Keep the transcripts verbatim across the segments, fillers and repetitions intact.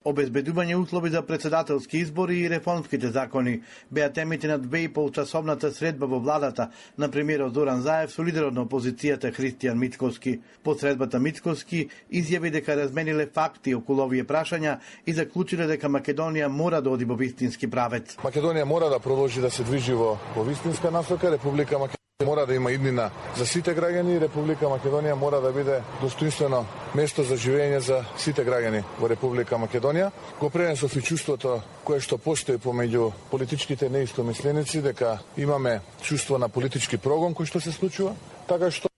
Обезбедување услови за председателски избори и реформските закони беа темите на две и пол часовната средба во владата на премиерот Зоран Заев со лидерот на опозицијата Христијан Мицкоски. По средбата Мицкоски изјави дека размениле факти околу овие прашања и заклучиле дека Македонија мора да оди во вистински правец. Македонија мора да продолжи да се движи во, во вистинска насока, Република Македонија мора да има иднина за сите граѓани, Република Македонија мора да биде достоинствено место за живење за сите граѓани во Република Македонија. Го пренесов и чувството кое што постои помеѓу политичките неистомисленици дека имаме чувство на политички прогон кој што се случува, така што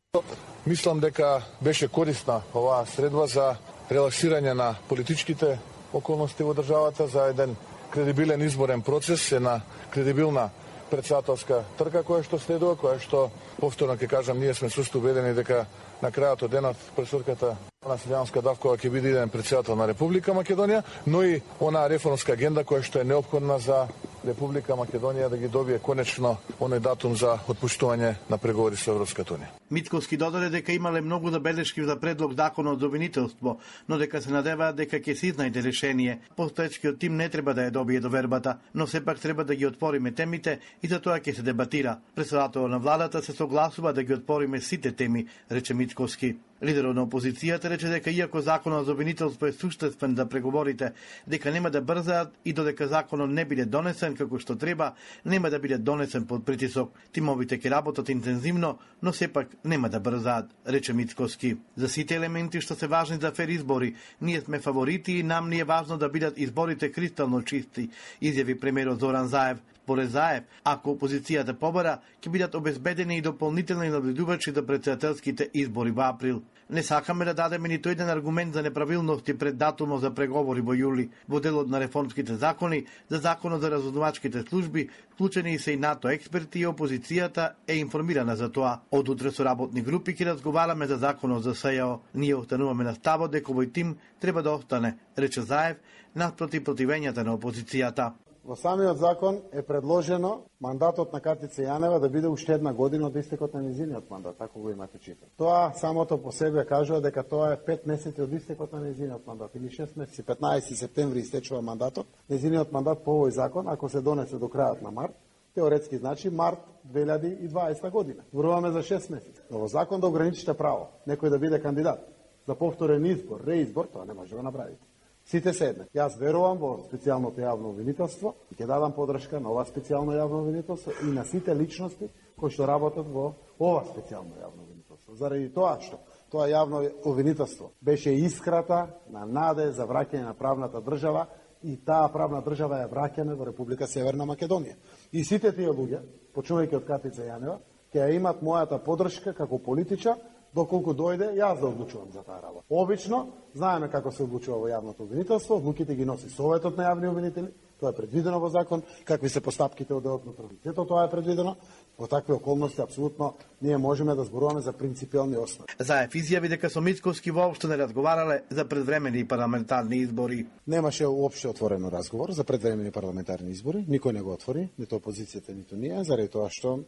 мислам дека беше корисна оваа средба за релаксирање на политичките околности во државата, за еден кредибилен изборен процес, една кредибилна председателска трка која што следува, која што, повторно ќе кажам, ние сме чврсто убедени дека на крајот од денот пресурката на Селјанска Давкова ќе биде иден председател на Република Македонија, но и онаа реформска агенда која што е неопходна за Република Македонија да ги добие конечно оној датум за отпуштување на преговори со Европската унија. Мицкоски додаде дека имале многу забелешки за предлог законот за обвинителство, но дека се надеваат дека ќе се изнајде решение. Постоечкиот тим не треба да ја добие довербата, но сепак треба да ги отвориме темите и за тоа ќе се дебатира. Председателот на владата се согласува да ги отвориме сите теми, рече Мицкоски. Лидерот на опозицијата рече дека иако законот за обвинителство е суштествен за преговорите, дека нема да брзаат и додека законот не биде донесен како што треба, нема да биде донесен под притисок. Тимовите ќе работат интензивно, но сепак нема да брзаат, рече Мицкоски. За сите елементи што се важни за фер избори, ние сме фаворити и нам ни е важно да бидат изборите кристално чисти, изјави премиерот Зоран Заев. Според Заев, ако опозицијата побара, ќе бидат обезбедени и дополнителни наблюдувачи за председателските избори во април. Не сакаме да дадеме ниту еден аргумент за неправилности пред датумот за преговори во јули. Во делот на реформските закони, за законот за разузнавачките служби, вклучени се и НАТО експерти и опозицијата е информирана за тоа. Од утре со работни групи ќе разговараме за законот за СЈО. Ние остануваме на ставот дека овој тим треба да остане, рече Заев, наспроти противењата на опозицијата. Во самиот закон е предложено мандатот на Катица Јанева да биде уште една година од истекот на незиниот мандат, ако го имате читано. Тоа самото по себе кажува дека тоа е пет месеци од истекот на незиниот мандат или шест месеци, петнаесети септември истечува мандатот. Незиниот мандат по овој закон, ако се донесе до крајот на март, теоретски значи март две илјади и дваесета година. Зборуваме за шест месеци. Во закон да ограничите право некој да биде кандидат за повторен избор, реизбор, тоа не може да го направите. Сите се еднак. Јас верувам во специјалното јавно обвинителство и ќе дадам подршка на ова специјално јавно обвинителство и на сите личности кои што работат во ова специјално јавно обвинителство. Заради тоа што тоа јавно обвинителство беше искрата на наде за враќање на правната држава и таа правна држава ја враќаме во Република Северна Македонија. И сите тие луѓе, почнувајќи од Катица Јанева, ќе ја имат мојата подршка како политичар, доколку дојде јас да одлучувам за таа работа. Обично, знаеме како се одлучува во јавното обвинителство, одлуките ги носи Советот на јавни обвинители, тоа е предвидено во закон, какви се постапките од делот на правосудието, тоа е предвидено. Во такви околности апсолутно ние можеме да зборуваме за принципиелни основи. Заев изјави дека со Мицкоски воопшто не разговарале за предвремени парламентарни избори. Немаше уопште отворено разговор за предвремени парламентарни избори, никој не го отвори, ниту опозицијата, ниту ние, заради тоа што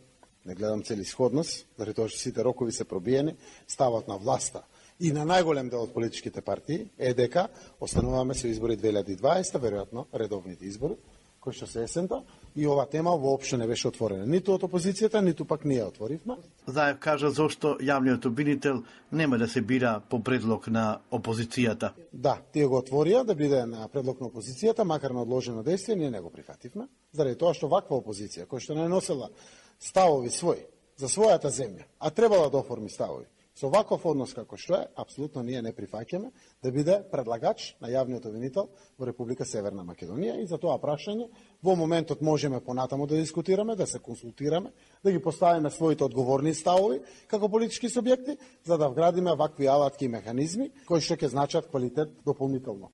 не гледам целисходност, заради тоа што сите рокови се пробиени, ставот на власта и на најголем дел од политичките партии е дека остануваме со избори две илјади и дваесета, веројатно редовните избори, кои што се есента, и ова тема воопшто не беше отворена. Ниту од опозицијата, ниту пак ние отворивме. Заев кажа зошто јавниот обвинител нема да се бира по предлог на опозицијата. Да, тие го отворија да биде на предлог на опозицијата, макар на одложено дејство, ние не го прифативме, заради тоа што ваква опозиција, која што не носела ставови своји за својата земја, а требала да оформи ставови со ваков однос како што е, апсолутно ние не прифаќаме да биде предлагач на јавниот обвинител во Република Северна Македонија и за тоа прашање во моментот можеме понатаму да дискутираме, да се консултираме, да ги поставиме своите одговорни ставови како политички субјекти, за да вградиме вакви алатки и механизми кои што ќе значат квалитет дополнително.